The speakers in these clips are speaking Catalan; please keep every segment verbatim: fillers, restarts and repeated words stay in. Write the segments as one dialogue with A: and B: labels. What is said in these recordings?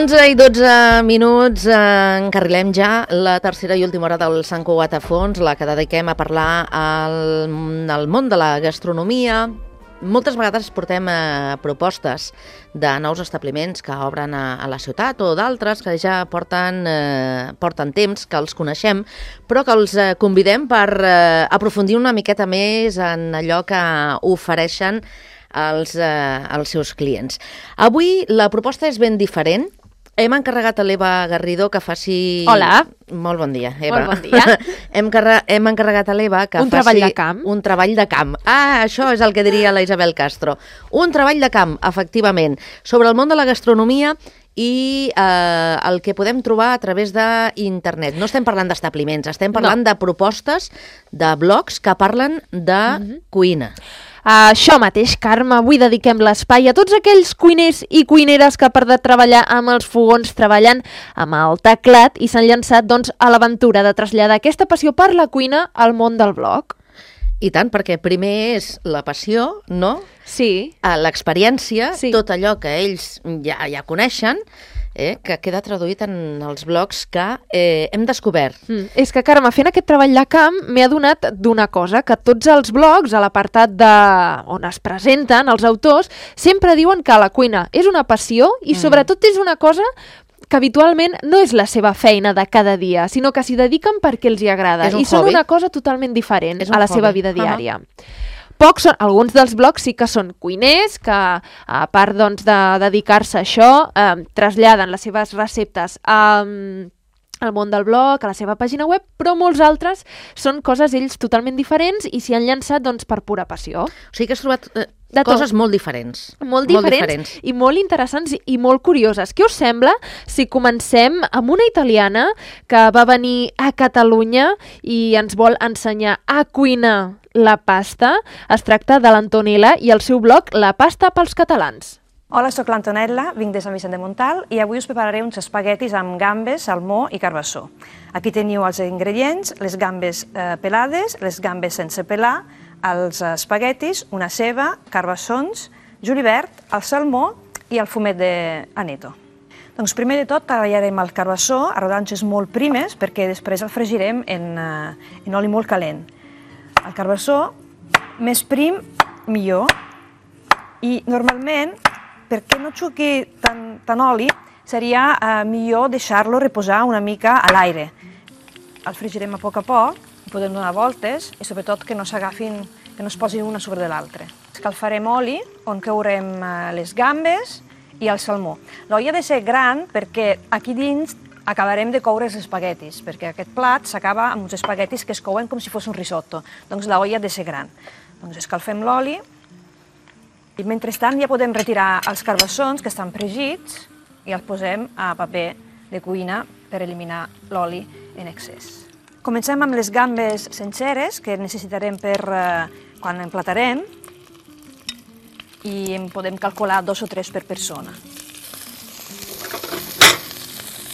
A: onze i dotze minuts, eh, encarrilem ja la tercera i última hora del Sant Cugat a fons, la que dediquem a parlar al, al món de la gastronomia. Moltes vegades portem eh, propostes de nous establiments que obren a, a la ciutat o d'altres que ja porten, eh, porten temps, que els coneixem, però que els eh, convidem per eh, aprofundir una miqueta més en allò que ofereixen als, eh, als seus clients. Avui la proposta és ben diferent. Hem encarregat a l'Eva Garrido que faci...
B: Hola.
A: Molt bon dia, Eva.
B: Molt bon dia.
A: hem, carre... hem encarregat a l'Eva que
B: un
A: faci...
B: treball de camp.
A: Un treball de camp. Ah, això és el que diria la Isabel Castro. Un treball de camp, efectivament, sobre el món de la gastronomia i eh, el que podem trobar a través d'internet. No estem parlant d'establiments, estem parlant no. de propostes, de blogs que parlen de mm-hmm. cuina.
B: Uh, això mateix, Carme, avui dediquem l'espai a tots aquells cuiners i cuineres que per de treballar amb els fogons treballen amb el teclat i s'han llançat doncs, a l'aventura de traslladar aquesta passió per la cuina al món del blog.
A: I tant, perquè primer és la passió, no?
B: Sí.
A: L'experiència,
B: sí.
A: tot allò que ells ja, ja coneixen, eh, que queda traduït en els blogs que eh, hem descobert.
B: Mm. És que, Carme, fent aquest treball de camp m'he adonat d'una cosa, que tots els blogs, a l'apartat de... on es presenten els autors, sempre diuen que la cuina és una passió i mm. sobretot és una cosa que habitualment no és la seva feina de cada dia, sinó que s'hi dediquen perquè els hi agrada. I hobby. Són una cosa totalment diferent a la hobby. Seva vida diària. Uh-huh. Pocs són, alguns dels blogs sí que són cuiners, que a part doncs, de dedicar-se a això, eh, traslladen les seves receptes a, al món del blog, a la seva pàgina web, però molts altres són coses ells totalment diferents i s'hi han llançat doncs, per pura passió.
A: O sigui que has trobat eh, coses molt diferents.
B: Molt diferents, molt diferents i molt interessants i molt curioses. Què us sembla si comencem amb una italiana que va venir a Catalunya i ens vol ensenyar a cuinar la pasta? Es tracta de l'Antonella i el seu blog La pasta pels catalans.
C: Hola, sóc l'Antonella, vinc de Sant Vicent de Montalt i avui us prepararé uns espaguetis amb gambes, salmó i carbassó. Aquí teniu els ingredients, les gambes eh, pelades, les gambes sense pelar, els espaguetis, una ceba, carbassons, julivert, el salmó i el fumet d'aneto. Doncs primer de tot tallarem el carbassó a rodanxes molt primes perquè després el fregirem en, uh, en oli molt calent. El carbassó, més prim, millor. I normalment, perquè no xuqui tant, tant oli, seria uh, millor deixar-lo reposar una mica a l'aire. El fregirem a poc a poc, podem donar voltes i sobretot que no s'agafin, que no es posin una sobre de l'altra. Escalfarem oli on courem les gambes i el salmó. L'olla ha de ser gran perquè aquí dins acabarem de coure els espaguetis, perquè aquest plat s'acaba amb uns espaguetis que es couen com si fos un risotto. Doncs l'olla ha de ser gran. Doncs escalfem l'oli i mentrestant ja podem retirar els carbassons que estan fregits i els posem a paper de cuina per eliminar l'oli en excés. Comencem amb les gambes senceres que necessitarem per eh, quan emplatarem i en podem calcular dos o tres per persona.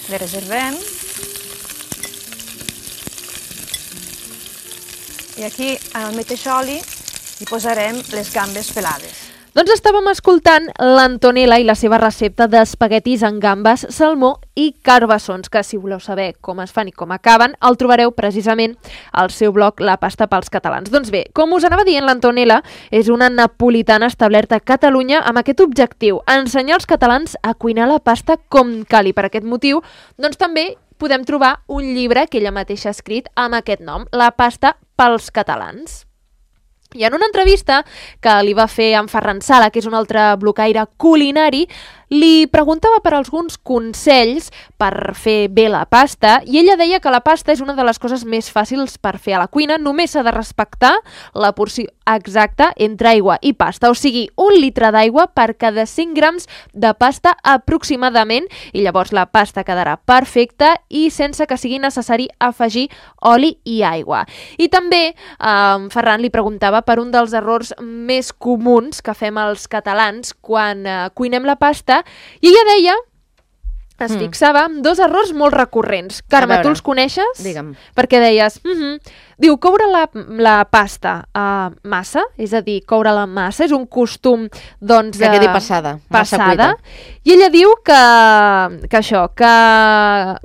C: Les reservem i aquí en el mateix oli hi posarem les gambes pelades.
B: Doncs estàvem escoltant l'Antonella i la seva recepta d'espaguetis amb gambes, salmó i carbassons, que si voleu saber com es fan i com acaben, el trobareu precisament al seu blog La pasta pels catalans. Doncs bé, com us anava dient, l'Antonella és una napolitana establerta a Catalunya amb aquest objectiu, ensenyar als catalans a cuinar la pasta com cal. I per aquest motiu, doncs també podem trobar un llibre que ella mateixa ha escrit amb aquest nom, La pasta pels catalans. I en una entrevista que li va fer en Ferran Sala, que és un altre blocaire culinari, li preguntava per alguns consells per fer bé la pasta i ella deia que la pasta és una de les coses més fàcils per fer a la cuina, només s'ha de respectar la porció exacta entre aigua i pasta, o sigui, un litre d'aigua per cada cinc grams de pasta aproximadament, i llavors la pasta quedarà perfecta i sense que sigui necessari afegir oli i aigua. I també eh, Ferran li preguntava per un dels errors més comuns que fem els catalans quan eh, cuinem la pasta, i ella deia es fixava en dos errors molt recurrents. Carme, tu els coneixes?
A: Digue'm.
B: Perquè deies, mm -hmm. diu, coure la, la pasta uh, massa, és a dir, coure la massa, és un costum, doncs...
A: Que quedi passada, massa
B: passada.
A: cuita.
B: I ella diu que, que això, que,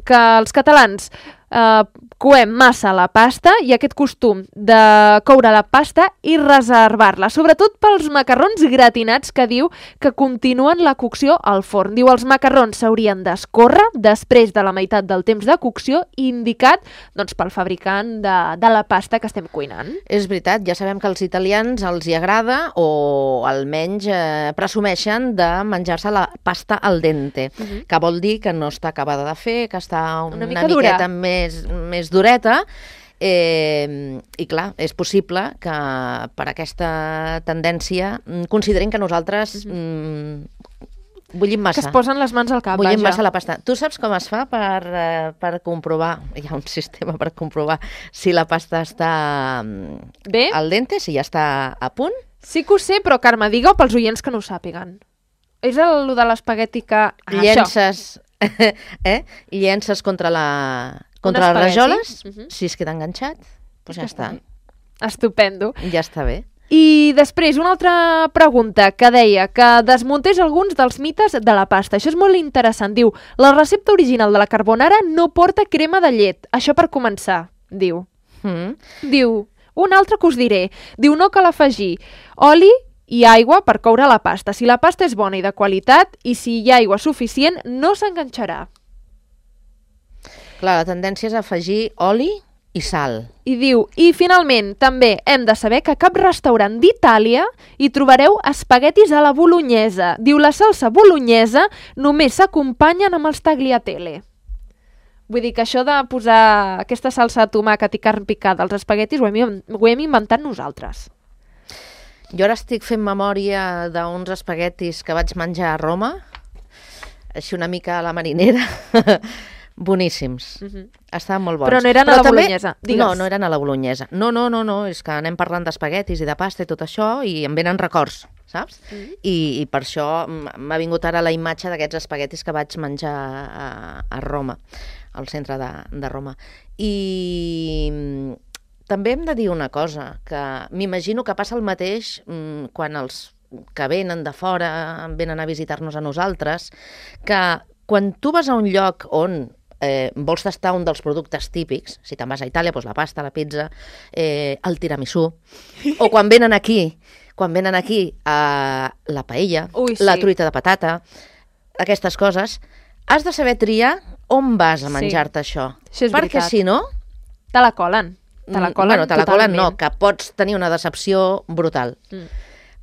B: que els catalans uh, coem massa la pasta i aquest costum de coure la pasta i reservar-la, sobretot pels macarrons gratinats, que diu que continuen la cocció al forn. Diu, els macarrons s'haurien d'escórrer després de la meitat del temps de cocció indicat, doncs, pel fabricant de, de la pasta que estem cuinant.
A: És veritat, ja sabem que als italians els hi agrada, o almenys eh, presumeixen de menjar-se la pasta al dente, uh -huh. que vol dir que no està acabada de fer, que està una,
B: una mica
A: una miqueta
B: dura.
A: més, més dureta, eh, i clar, és possible que per aquesta tendència considerin que nosaltres uh -huh. mm, bullim massa.
B: Que es posen les mans al cap,
A: Bullim
B: vaja.
A: massa la pasta. Tu saps com es fa per, eh, per comprovar, hi ha un sistema per comprovar si la pasta està mm,
B: Bé?
A: al dente, si ja està a punt?
B: Sí que ho sé, però Carme, digue-ho pels oients que no ho sàpiguen. És el de l'espagueti que... Ah,
A: llences, eh? llences contra la contra les
B: espagueti.
A: rajoles,
B: Uh -huh.
A: si es queda enganxat, doncs ja està.
B: bé. Estupendo.
A: Ja està bé.
B: I després, una altra pregunta que deia que desmuntés alguns dels mites de la pasta. Això és molt interessant. Diu, la recepta original de la carbonara no porta crema de llet. Això per començar, diu.
A: Mm.
B: Diu, un altre que us diré. Diu, no cal afegir oli i aigua per coure la pasta. Si la pasta és bona i de qualitat i si hi ha aigua suficient, no s'enganxarà.
A: Clar, la tendència és afegir oli i sal.
B: I diu, i finalment, també hem de saber que a cap restaurant d'Itàlia hi trobareu espaguetis a la bolognesa. Diu, la salsa bolognesa només s'acompanyen amb els tagliatelle. Vull dir que això de posar aquesta salsa de tomàquet i carn picada als espaguetis ho hem, ho hem inventat nosaltres.
A: Jo ara estic fent memòria d'uns espaguetis que vaig menjar a Roma, així una mica a la marinera, boníssims.
B: Uh -huh.
A: Estaven molt bons.
B: Però no eren
A: Però
B: a la
A: també...
B: bolognesa, digues.
A: No, no eren a la bolognesa. No, no, no, no, és que anem parlant d'espaguetis i de pasta i tot això i em venen records, saps? Uh -huh. I, I per això m'ha vingut ara la imatge d'aquests espaguetis que vaig menjar a, a Roma, al centre de, de Roma. I també hem de dir una cosa, que m'imagino que passa el mateix mmm, quan els que venen de fora venen a visitar-nos a nosaltres, que quan tu vas a un lloc on eh, vols tastar un dels productes típics, si te'n vas a Itàlia, doncs la pasta, la pizza, eh, el tiramisú, o quan venen aquí, quan venen aquí a la paella,
B: Ui, sí.
A: la truita de patata, aquestes coses, has de saber triar on vas a menjar-te
B: Sí.
A: això.
B: Això és
A: Perquè
B: veritat.
A: si no...
B: Te la colen. Te la colen
A: bueno, te la colen no,
B: totalment.
A: que pots tenir una decepció brutal.
B: Mm.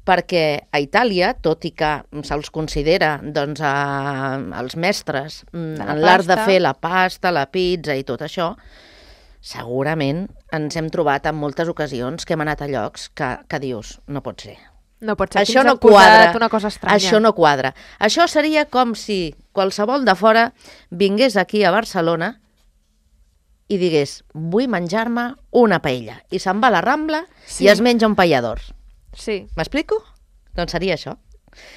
A: Perquè a Itàlia, tot i que se'ls considera doncs, a, els mestres mm,
B: la
A: en l'art de
B: pasta.
A: fer la pasta, la pizza i tot això, segurament ens hem trobat en moltes ocasions que hem anat a llocs que, que dius, no pot ser.
B: No pot ser.
A: Això
B: Aquí ens
A: no
B: han posat
A: quadra.
B: Una cosa estranya.
A: Això no quadra. Això seria com si qualsevol de fora vingués aquí a Barcelona i digués, vull menjar-me una paella. I se'n va a la Rambla
B: Sí.
A: i es menja un paellador.
B: Sí.
A: M'explico? Doncs seria això,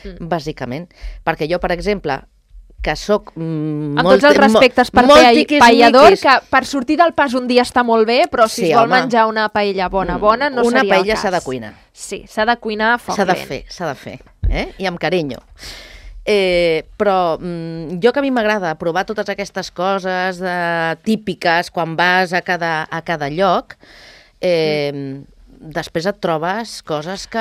B: Mm.
A: bàsicament. Perquè jo, per exemple, que sóc mm,
B: Amb
A: molt,
B: tots els respectes per
A: molt
B: paella-
A: tiquis
B: paellador,
A: miquis.
B: que per sortir del pas un dia està molt bé, però si
A: Sí,
B: es vol
A: home.
B: menjar una paella bona, bona, no
A: Una
B: seria el
A: paella
B: cas.
A: s'ha de cuinar.
B: Sí, s'ha de cuinar a foc
A: S'ha de
B: lent.
A: fer, s'ha de fer, eh? I amb carinyo. Eh, però mm, jo que a mi m'agrada provar totes aquestes coses eh, típiques quan vas a cada, a cada lloc, eh, mm. després et trobes coses que...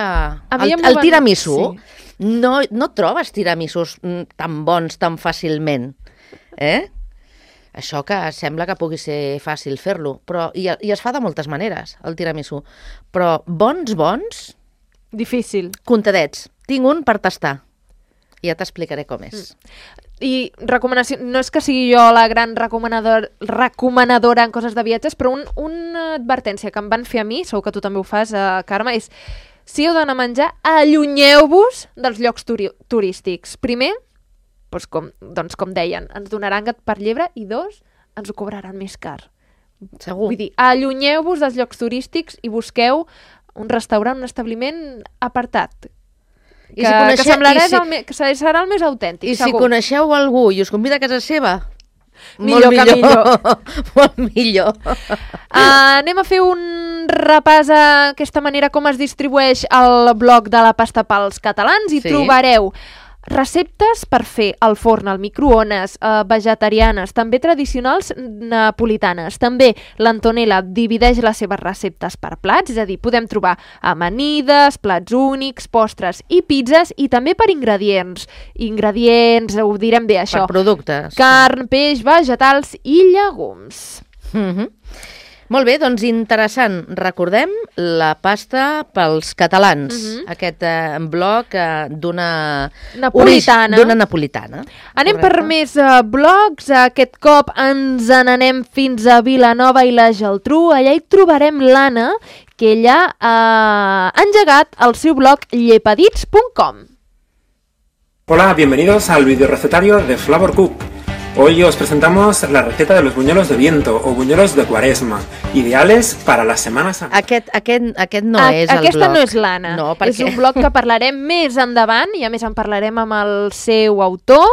B: mi
A: El,
B: em
A: el
B: van-
A: tiramisú,
B: sí.
A: no, no trobes tiramisús mm, tan bons tan fàcilment, eh? Això que sembla que pugui ser fàcil fer-lo, però i, i es fa de moltes maneres, el tiramisú. Però bons, bons,
B: Difícil.
A: comptadets. Tinc un per tastar. I ja t'explicaré com és.
B: I recomanació, no és que sigui jo la gran recomanador, recomanadora en coses de viatges, però un, una advertència que em van fer a mi, segur que tu també ho fas, eh, Carme, és si heu d'anar a menjar, allunyeu-vos dels llocs turi turístics. Primer, doncs com, doncs com deien, ens donaran gat per llebre i dos, ens ho cobraran més car.
A: Segur.
B: Vull dir, allunyeu-vos dels llocs turístics i busqueu un restaurant, un establiment apartat. Que, si coneixeu, que semblarà si, el, que serà el més autèntic,
A: i
B: segur.
A: I si coneixeu algú i us convida a casa seva,
B: millor
A: molt
B: que
A: millor. Molt millor.
B: Uh, anem a fer un repàs a aquesta manera com es distribueix el bloc de la pasta pels catalans i sí. trobareu receptes per fer al forn, al microones, eh, vegetarianes, també tradicionals napolitanes. També l'Antonella divideix les seves receptes per plats, és a dir, podem trobar amanides, plats únics, postres i pizzas, i també per ingredients. Ingredients, ho direm bé, això.
A: Per productes.
B: Carn, peix, vegetals i llegums.
A: Mm-hmm. Molt bé, doncs interessant. Recordem la pasta pels catalans, uh-huh. aquest eh, bloc eh, d'una
B: napolitana.
A: D'una napolitana.
B: Anem
A: correcte.
B: Per més uh, blocs. Aquest cop ens n'anem fins a Vilanova i la Geltrú. Allà hi trobarem l'Anna, que ella ha engegat el seu blog llepadits punt com.
D: Hola, bienvenidos al videorecetario de Flavor Cook. Hoy os presentamos la receta de los buñuelos de viento o buñuelos de cuaresma, ideales para las semanas...
A: Aquest, aquest, aquest no
B: a,
A: és el
B: aquesta
A: bloc.
B: No és l'Anna.
A: No, perquè...
B: És un bloc que parlarem més endavant i a més en parlarem amb el seu autor.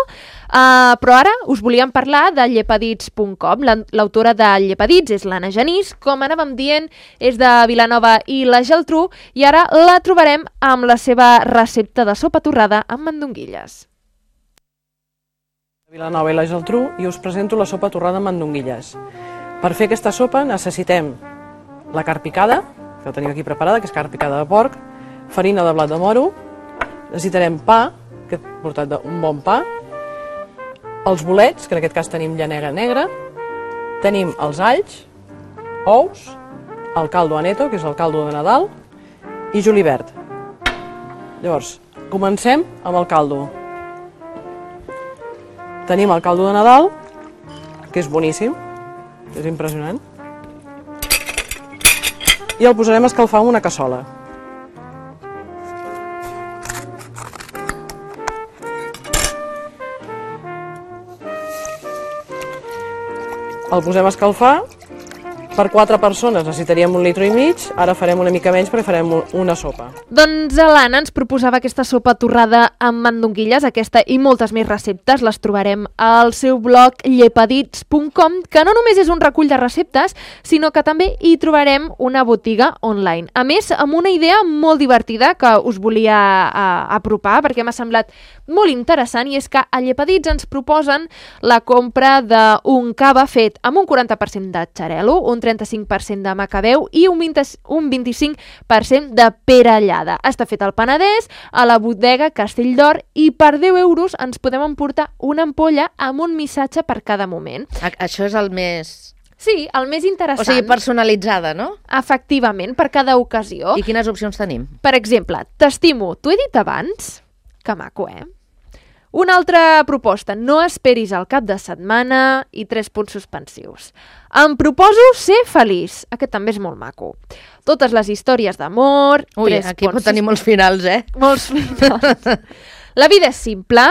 B: Uh, però ara us volíem parlar de llepadits punt com. L'autora de Llepadits és l'Anna Genís, com anàvem dient, és de Vilanova i la Geltrú, i ara la trobarem amb la seva recepta de sopa torrada amb mandonguilles.
E: Vilanova i la Geltrú i us presento la sopa torrada amb mandonguilles. Per fer aquesta sopa necessitem la carn picada, que la tenim aquí preparada, que és carn picada de porc, farina de blat de moro, necessitarem pa, que he portat un bon pa, els bolets, que en aquest cas tenim llanega negra, tenim els alls, ous, el caldo aneto, que és el caldo de Nadal, i julivert. Llavors, comencem amb el caldo. Tenim el caldo de Nadal, que és boníssim, és impressionant, i el posarem a escalfar en una cassola. El posem a escalfar. Per quatre persones necessitaríem un litre i mig, ara farem una mica menys perquè farem una sopa.
B: Doncs l'Anna ens proposava aquesta sopa torrada amb mandonguilles, aquesta i moltes més receptes les trobarem al seu blog llepadits punt com, que no només és un recull de receptes, sinó que també hi trobarem una botiga online. A més, amb una idea molt divertida que us volia uh, apropar, perquè m'ha semblat molt interessant, i és que a Llepadits ens proposen la compra d'un cava fet amb un quaranta per cent de xarel·lo, un trenta-cinc per cent de macabeu i un, vint, un vint-i-cinc per cent de perellada. Està fet al Penedès, a la bodega Castelldor, i per deu euros ens podem emportar una ampolla amb un missatge per cada moment.
A: A això és el més...
B: Sí, el més interessant.
A: O sigui, personalitzada, no?
B: Efectivament, per cada ocasió.
A: I quines opcions tenim?
B: Per exemple, t'estimo, t'ho he dit abans? Que maco, eh? Una altra proposta, no esperis el cap de setmana i tres punts suspensius. Em proposo ser feliç. Aquest també és molt maco. Totes les històries d'amor...
A: Ui, aquí pot tenir molts finals, eh?
B: Molts finals. La vida és simple,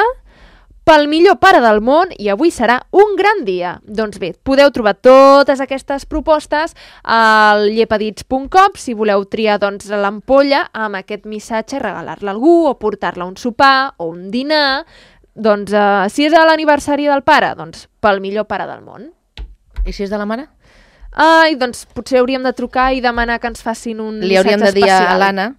B: pel millor pare del món, i avui serà un gran dia. Doncs bé, podeu trobar totes aquestes propostes al llepadits punt com si voleu triar doncs, l'ampolla amb aquest missatge, regalar-la a algú o portar-la a un sopar o un dinar. Doncs uh, si és a l'aniversari del pare, doncs pel millor pare del món.
A: I si és de la mare?
B: Ai, doncs potser hauríem de trucar i demanar que ens facin un missatge especial. Li hauríem de dir
A: especial a l'Anna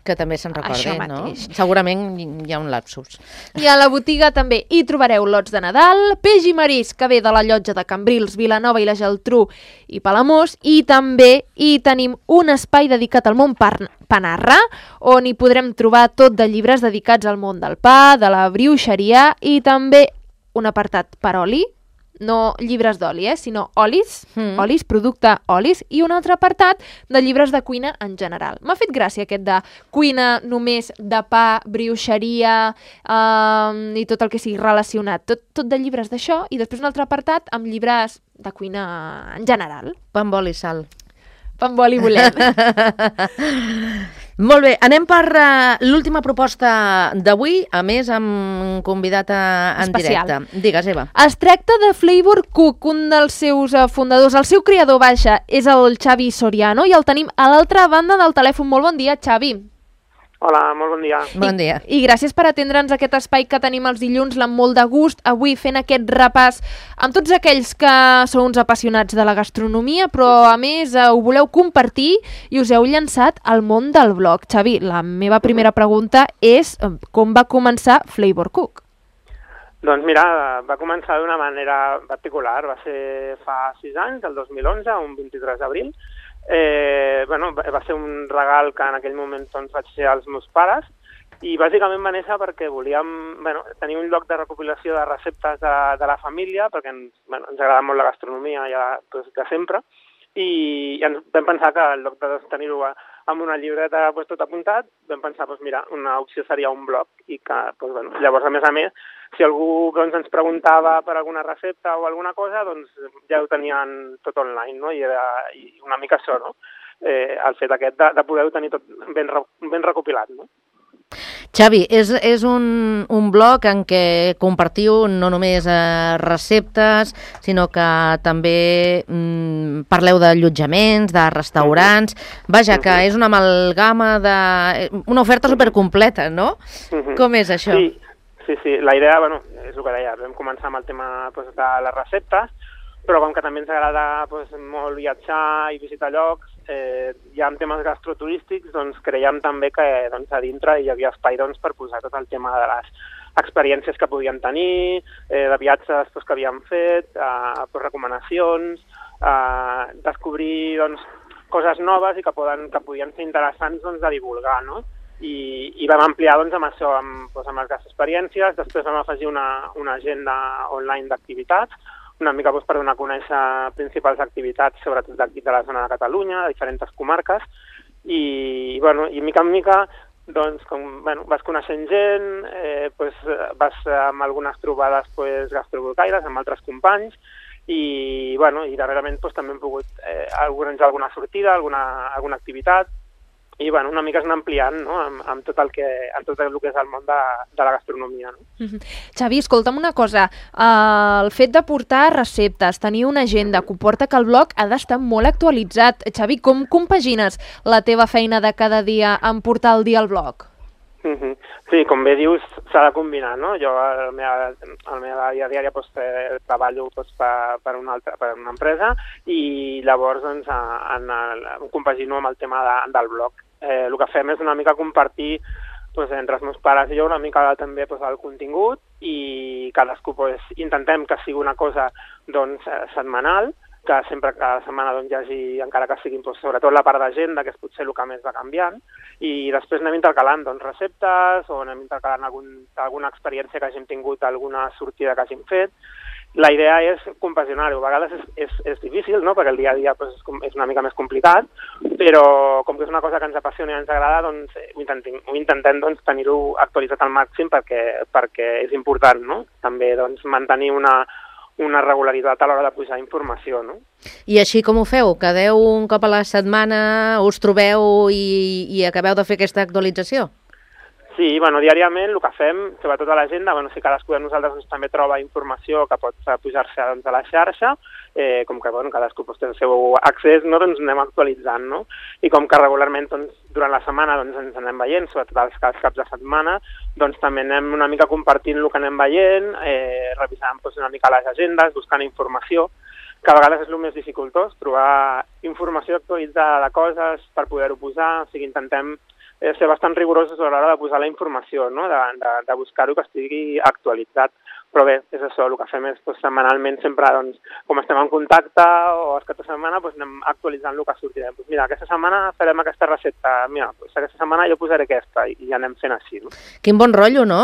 A: que també se'n recordi, no? Segurament hi ha un lapsus.
B: I a la botiga també hi trobareu lots de Nadal, peix i marisc que ve de la llotja de Cambrils, Vilanova i la Geltrú i Palamós, i també hi tenim un espai dedicat al món panarra, on hi podrem trobar tot de llibres dedicats al món del pa, de la brioixeria, i també un apartat per oli, no llibres d'oli, eh, sinó olis, mm. olis, producte olis, i un altre apartat de llibres de cuina en general. M'ha fet gràcia aquest de cuina només de pa, brioixeria eh, i tot el que sigui relacionat. Tot, tot de llibres d'això, i després un altre apartat amb llibres de cuina en general.
A: Pa amb oli i sal.
B: Pa amb oli volem.
A: Molt bé, anem per uh, l'última proposta d'avui, a més amb convidat a, en
B: especial.
A: directe. Digues, Eva.
B: Es tracta de Flavor Cook, un dels seus uh, fundadors. El seu creador, baixa, és el Xavi Soriano, i el tenim a l'altra banda del telèfon. Molt bon dia, Xavi.
F: Hola, molt bon dia.
A: Bon dia.
B: I, I gràcies per atendre'ns aquest espai que tenim els dilluns amb molt de gust, avui fent aquest repàs amb tots aquells que sou uns apassionats de la gastronomia, però a més eh, ho voleu compartir i us heu llançat al món del blog. Xavi, la meva primera pregunta és eh, com va començar Flavor Cook?
F: Doncs mira, va començar d'una manera particular, va ser fa sis anys, el dos mil onze, un vint-i-tres d'abril. Eh, bueno, va ser un regal que en aquell moment doncs, vaig fer als meus pares i bàsicament va néixer perquè volíem bueno, tenir un lloc de recopilació de receptes de, de la família, perquè ens, bueno, ens agrada molt la gastronomia ja doncs, de sempre, i, i ens vam pensar que en lloc de tenir-ho amb una llibreta pues, tot apuntat, vam pensar, pues, mira, una opció seria un blog, i que, pues, bueno, llavors, a més a més, si algú doncs, ens preguntava per alguna recepta o alguna cosa, doncs ja ho tenien tot online, no? I era i una mica això, no? Eh, el fet aquest de, de poder-ho tenir tot ben, ben recopilat, no?
A: Xavi, és, és un, un blog en què compartiu no només eh, receptes, sinó que també mm, parleu d'allotjaments, de restaurants... Vaja, que és una amalgama de... una oferta supercompleta, no? Uh-huh. Com és això?
F: Sí, sí, sí. La idea, bueno, és el que deia, vam començar amb el tema pues, de les receptes, però com que també ens agrada pues, molt viatjar i visitar llocs, eh, ja en temes gastroturístics, doncs creiem també que doncs, a dintre hi havia espai doncs, per posar tot el tema de les experiències que podíem tenir, eh, de viatges pues, que havíem fet, eh, pues, recomanacions, eh, descobrir doncs, coses noves i que, poden, que podien ser interessants doncs, de divulgar, no? I, i vam ampliar doncs, amb això, amb, doncs, amb les experiències, després vam afegir una, una agenda online d'activitats, una mica doncs, per donar a conèixer principals activitats, sobretot d'aquí de la zona de Catalunya, de diferents comarques, i, bueno, i mica en mica doncs, com, bueno, vas coneixent gent, eh, pues, vas amb algunes trobades pues, gastrovolcaires amb altres companys, i, bueno, i darrerament pues, també hem pogut eh, organitzar alguna sortida, alguna, alguna activitat, i bueno, una mica es anar ampliant no? amb, amb, tot el que, amb tot el que és el món de, de la gastronomia. No?
B: Mm-hmm. Xavi, escolta'm una cosa, uh, el fet de portar receptes, tenir una agenda, comporta que el blog ha d'estar molt actualitzat. Xavi, com compagines la teva feina de cada dia amb portar el dia al blog?
F: Mm-hmm. Sí, com bé dius, s'ha de combinar, no? Jo a la meva, a la meva vida diària pues, eh, treballo pues, per, per, una altra, per una empresa i llavors doncs, en el, compagino amb el tema de, del blog. Eh, el que fem és una mica compartir pues, entre els meus pares i jo una mica també pues, el contingut i cadascú pues, intentem que sigui una cosa doncs, setmanal, que sempre cada setmana doncs, hi hagi, encara que siguin pues, sobretot la part d'agenda, que és potser el que més va canviant, i després anem intercalant doncs, receptes o anem intercalant algun, alguna experiència que hàgim tingut, alguna sortida que hàgim fet. La idea és compaginar-ho. A vegades és, és, és difícil, no? Perquè el dia a dia pues, és una mica més complicat, però com que és una cosa que ens apassiona i ens agrada, doncs, ho intentem, ho intentem doncs, tenir-ho actualitzat al màxim perquè, perquè és important, no? També doncs, mantenir una, una regularitat a l'hora de pujar informació. No?
A: I així com ho feu? Quedeu un cop a la setmana, us trobeu i, i acabeu de fer aquesta actualització?
F: Sí, bueno, diàriament el que fem, sobretot a l'agenda, bueno, si cadascú de nosaltres doncs, també troba informació que pot pujar-se doncs, a la xarxa, eh, com que bueno, cadascú doncs, té el seu accés, no, doncs anem actualitzant, no? I com que regularment doncs, durant la setmana doncs, ens anem veient, sobretot els, els caps de setmana, doncs també anem una mica compartint el que anem veient, eh, revisant doncs, una mica les agendes, buscant informació, que a vegades és el més dificultós, trobar informació actualitzada de coses per poder-ho posar, o sigui, intentem ser bastant rigorosos a l'hora de posar la informació, no? de, de, de buscar-ho que estigui actualitzat. Però bé, és això, el que fem és doncs, setmanalment sempre, doncs, com estem en contacte o els caps de setmana, doncs, anem actualitzant el que sortirem. Doncs mira, aquesta setmana farem aquesta recepta, mira, doncs, aquesta setmana jo posaré aquesta i ja anem fent així. No?
A: Quin bon rotllo, no?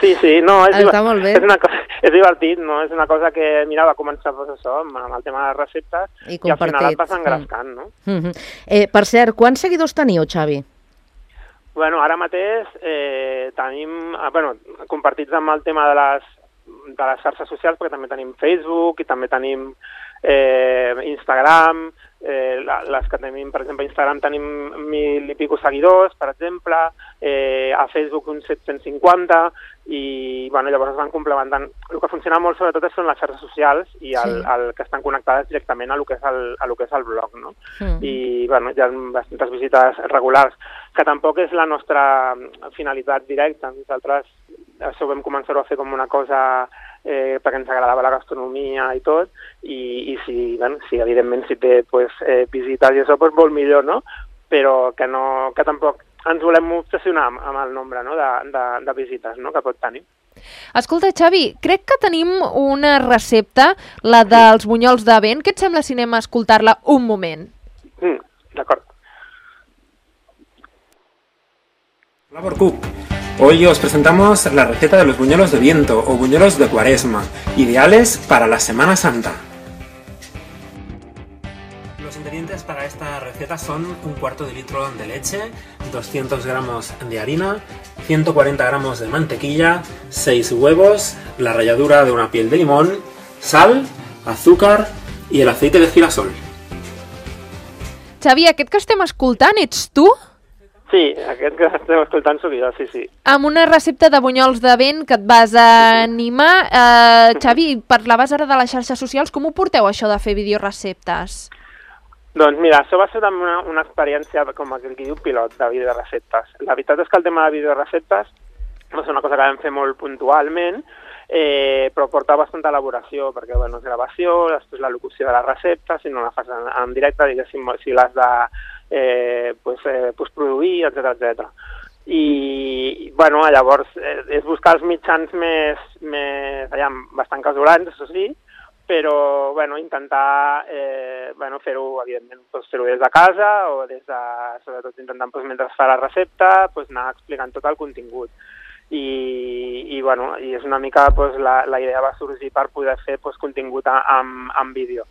F: Sí, sí, no, és,
A: Està molt bé.
F: és, una cosa, és divertit, no? És una cosa que, mira, va començar doncs, això, amb, amb el tema de les receptes i, i al final et vas engrescant, no?
A: Mm-hmm. eh, per cert, quants seguidors teniu, Xavi?
F: Bueno, ara mateix eh, tenim, bueno, compartits amb el tema de les, de les xarxes socials, perquè també tenim Facebook i també tenim eh, Instagram, eh, les que tenim, per exemple, a Instagram tenim mil i pico seguidors, per exemple, eh, a Facebook uns set-cents cinquanta, i bueno, llavors es van complementant. El que funciona molt sobretot són les xarxes socials i el, sí. el que estan connectades directament a lo que és el, a lo que és el blog, no? Mm. I bueno, hi ha bastantes visites regulars, que tampoc és la nostra finalitat directa. Nosaltres això vam començar-ho a fer com una cosa eh, perquè ens agradava la gastronomia i tot, i, i si, bueno, si evidentment si té pues, eh, visites i això, pues, molt millor, no? Però que, no, que tampoc ens volem obsessionar amb, amb el nombre, no? de, de, de visites, no? Que pot tenir.
B: Escolta, Xavi, crec que tenim una recepta, la dels bunyols de vent. Què et sembla si anem a escoltar-la un moment?
F: Mm, D'acord.
D: Flavor Cook. Hoy os presentamos la receta de los buñuelos de viento o buñuelos de cuaresma, ideales para la Semana Santa. Los ingredientes para esta receta son un cuarto de litro de leche, doscientos gramos de harina, ciento cuarenta gramos de mantequilla, seis huevos, la ralladura de una piel de limón, sal, azúcar y el aceite de girasol.
B: Xavi, aquest que estem escoltant ets tu?
F: Sí, aquest que estem escoltant sóc jo, sí, sí.
B: Amb una recepta de bunyols de vent que et vas animar. Eh, Xavi, parlaves ara de les xarxes socials. Com ho porteu, això de fer videoreceptes?
F: Doncs mira, això va ser una, una experiència, com aquell que diu, pilot de videoreceptes. La veritat és que el tema de videoreceptes va ser una cosa que vam fer molt puntualment, eh, però porta bastanta elaboració, perquè bueno, és gravació, després la locució de la recepta, si no la fas en, en directe, diguéssim, si l'has de eh, pues, eh, pues produir, etcètera, etcètera. I, bueno, llavors, eh, és buscar els mitjans més, més allà, bastant casolans, això sí, però, bueno, intentar eh, bueno, fer-ho, evidentment, pues, fer-ho des de casa o des de, sobretot intentant, pues, mentre es fa la recepta, pues, anar explicant tot el contingut. I, i, bueno, i és una mica, pues, la, la idea va sorgir per poder fer, pues, contingut amb, amb vídeo.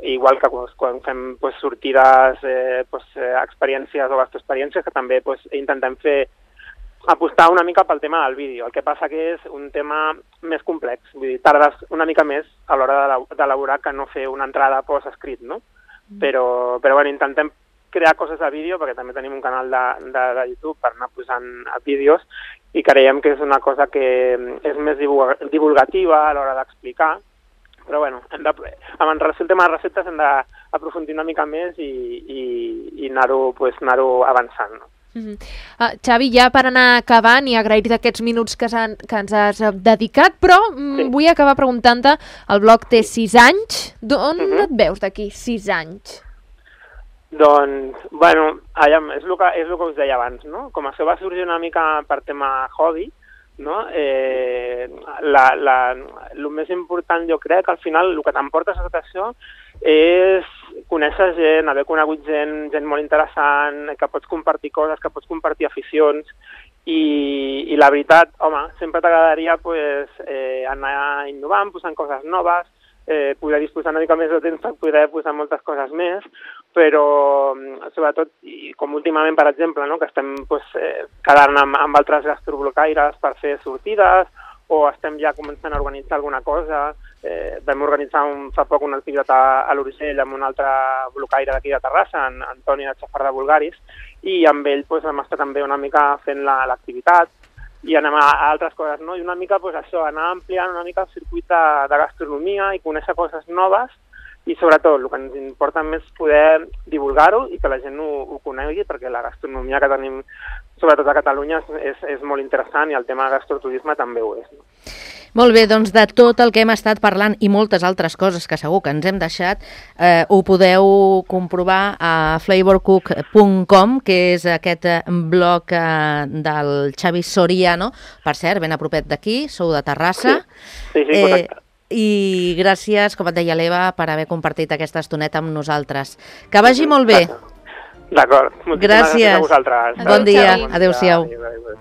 F: Igual que pues, quan fem pues, sortides, eh, pues, eh, experiències o gastroexperiències, que també pues, intentem fer apostar una mica pel tema del vídeo. El que passa que és un tema més complex, vull dir, tardes una mica més a l'hora d'elaborar que no fer una entrada post-escrit, no? Però, però bueno, intentem crear coses de vídeo, perquè també tenim un canal de, de, de YouTube per anar posant vídeos, i creiem que és una cosa que és més divulgativa a l'hora d'explicar, però bueno, hem de, amb el tema de receptes hem d'aprofundir una mica més i, i, i anar-ho pues, anar-ho avançant, no?
B: Uh-huh. uh, Xavi, ja per anar acabant i agrair-te aquests minuts que, que ens has dedicat, però sí. vull acabar preguntant-te, el blog té sis anys, d'on uh-huh. et veus d'aquí sis anys?
F: Doncs, bueno, allà, és, el que, és el que us deia abans, no? Com això va sorgir una mica per tema hobby, no? Eh, la, la, el més important jo crec que al final el que t'emporta tot això és conèixer gent, haver conegut gent, gent molt interessant, que pots compartir coses, que pots compartir aficions, i, i la veritat, home, sempre t'agradaria pues, eh, anar innovant, posant coses noves, eh, poder disposar una mica més de temps per poder posar moltes coses més, però sobretot, i com últimament, per exemple, no, que estem pues, eh, quedant amb, amb altres gastroblocaires per fer sortides, o estem ja començant a organitzar alguna cosa. Eh, vam organitzar un, fa poc una activitat a, a l'Urgell amb un altre blocaire d'aquí de Terrassa, en Antoni de Xafar de Bulgaris, i amb ell pues, vam estar també una mica fent l'activitat i anem a, a altres coses, no? I una mica pues, això, anar ampliant una mica el circuit de, de gastronomia i conèixer coses noves, i sobretot el que ens importa més poder divulgar-ho i que la gent ho, ho conegui, perquè la gastronomia que tenim sobretot a Catalunya és, és molt interessant i el tema de gastroturisme també ho és, no?
A: Molt bé, doncs de tot el que hem estat parlant i moltes altres coses que segur que ens hem deixat, eh, ho podeu comprovar a flavor cook punt com, que és aquest blog eh, del Xavi Soriano, per cert, ben a propet d'aquí, sou de Terrassa.
F: Sí, sí, sí, correcte.
A: Eh, I gràcies, com et deia l'Eva, per haver compartit aquesta estoneta amb nosaltres. Que vagi molt bé.
F: D'acord. Moltíssimes gràcies a vosaltres.
A: Bon dia. Adéu-siau.
F: Adéu, adéu.